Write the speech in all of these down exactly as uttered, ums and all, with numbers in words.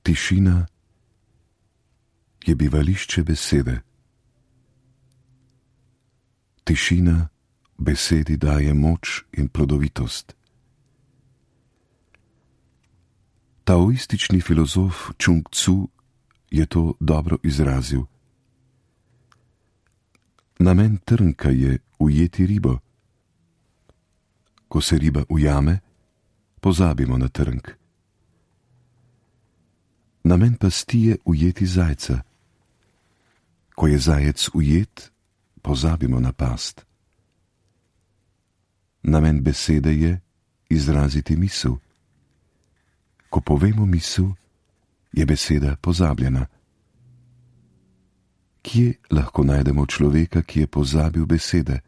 Tišina je bivališče besede. Tišina besedi daje moč in plodovitost. Taoistični filozof Čung Tzu je to dobro izrazil. Namen trnka je ujeti ribo. Ko se riba ujame, pozabimo na trnk. Namen pasti je ujeti zajca. Ko je zajec ujet, pozabimo na past. Namen besede je izraziti misel. Ko povemo misel, je beseda pozabljena. Kje lahko najdemo človeka, ki je pozabil besede?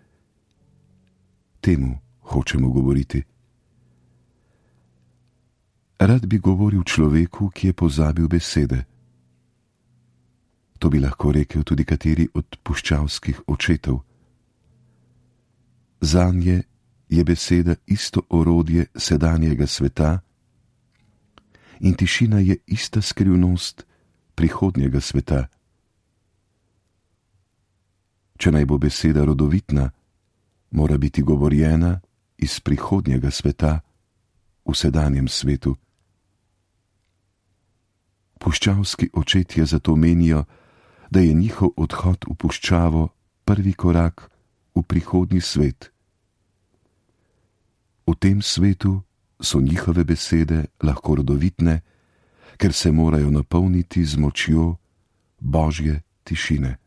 Temu hočemo govoriti. Rad bi govoril človeku, ki je pozabil besede. To bi lahko rekel tudi kateri od puščavskih očetov. Zanje je beseda isto orodje sedanjega sveta in tišina je ista skrivnost prihodnjega sveta. Če naj bo beseda rodovitna, mora biti govorjena iz prihodnjega sveta v sedanjem svetu. Puščavski očetje zato menijo, da je njihov odhod v puščavo prvi korak v prihodnji svet. V tem svetu so njihove besede lahko rodovitne, ker se morajo napolniti z močjo Božje tišine.